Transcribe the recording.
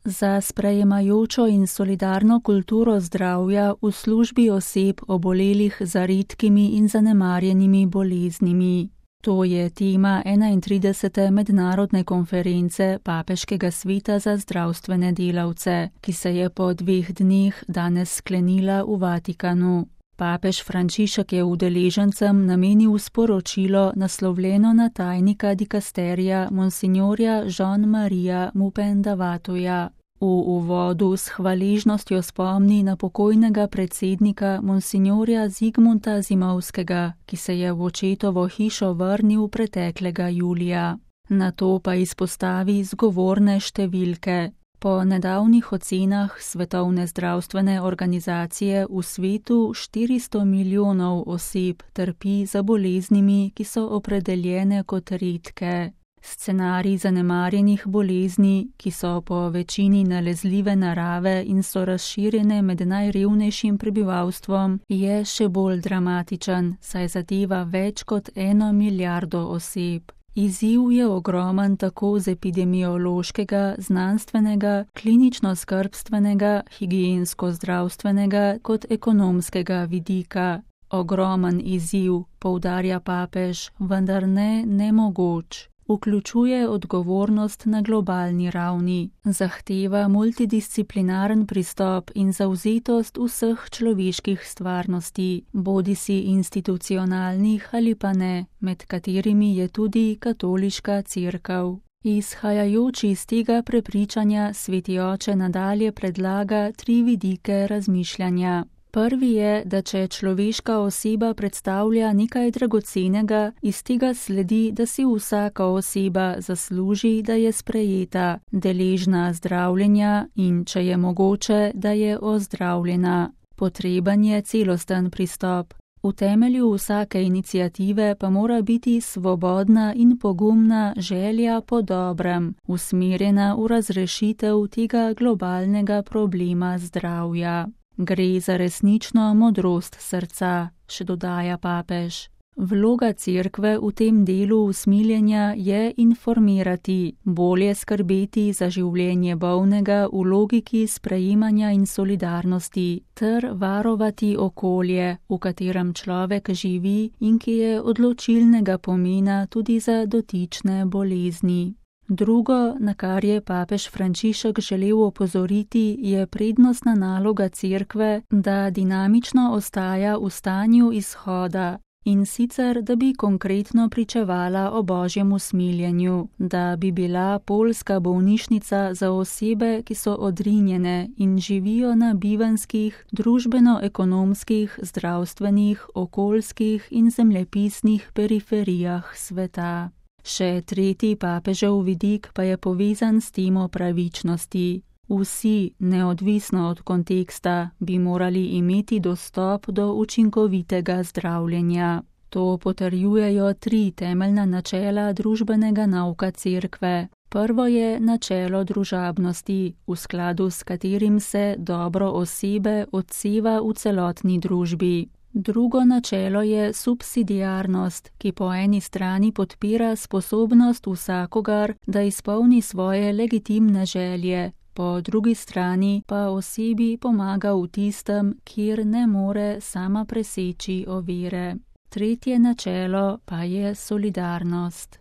za sprejemajočo in solidarno kulturo zdravja v službi oseb obolelih za redkimi in zanemarjenimi boleznimi. To je tema 31. mednarodne konference Papeškega sveta za zdravstvene delavce, ki se je po 2 dneh danes sklenila v Vatikanu. Papež Frančišek je udeležencem namenil sporočilo naslovljeno na tajnika dikasterija monsignorja Jean-Maria Mupendavatoja. V uvodu s hvaležnostjo spomni na pokojnega predsednika monsignorja Zigmunta Zimovskega, ki se je v očetovo hišo vrnil preteklega julija. Nato pa izpostavi zgovorne številke. Po nedavnih ocenah Svetovne zdravstvene organizacije v svetu 400 milijonov oseb trpi za boleznimi, ki so opredeljene kot redke. Scenarij zanemarjenih bolezni, ki so po večini nalezljive narave in so razširjene med najrevnejšim prebivalstvom, je še bolj dramatičen, saj zadeva več kot 1 milijardo oseb. Izziv je ogromen tako z epidemiološkega, znanstvenega, klinično-skrbstvenega, higiensko-zdravstvenega kot ekonomskega vidika. Ogromen izziv, poudarja papež, vendar ne nemogoč. Vključuje odgovornost na globalni ravni, zahteva multidisciplinaren pristop in zavzetost vseh človeških stvarnosti, bodisi institucionalnih ali pa ne, med katerimi je tudi katoliška cerkev. Izhajajoč iz tega prepričanja sveti oče nadalje predlaga 3 vidike razmišljanja. Prvi je, da če človeška oseba predstavlja nekaj dragocenega, iz tega sledi, da si vsaka oseba zasluži, da je sprejeta, deležna zdravljenja in, če je mogoče, da je ozdravljena. Potreben je celosten pristop. V temelju vsake iniciative pa mora biti svobodna in pogumna želja po dobrem, usmerjena v razrešitev tega globalnega problema zdravja. Gre za resnično modrost srca, še dodaja papež. Vloga cerkve v tem delu usmiljenja je informirati, bolje skrbeti za življenje bolnega v logiki sprejemanja in solidarnosti, ter varovati okolje, v katerem človek živi in ki je odločilnega pomena tudi za dotične bolezni. Drugo, na kar je papež Frančišek želel opozoriti, je prednostna naloga cerkve, da dinamično ostaja v stanju izhoda, in sicer, da bi konkretno pričevala o božjem usmiljenju, da bi bila poljska bolnišnica za osebe, ki so odrinjene in živijo na bivanjskih, družbeno-ekonomskih, zdravstvenih, okoljskih in zemljepisnih periferijah sveta. Še tretji papežev vidik pa je povezan s temo pravičnosti. Vsi, neodvisno od konteksta, bi morali imeti dostop do učinkovitega zdravljenja. To potrjujejo 3 temeljna načela družbenega nauka cerkve. Prvo je načelo družabnosti, v skladu s katerim se dobro osebe odseva v celotni družbi. Drugo načelo je subsidiarnost, ki po eni strani podpira sposobnost vsakogar, da izpolni svoje legitimne želje, po drugi strani pa osebi pomaga v tistem, kjer ne more sama preseči ovire. Tretje načelo pa je solidarnost.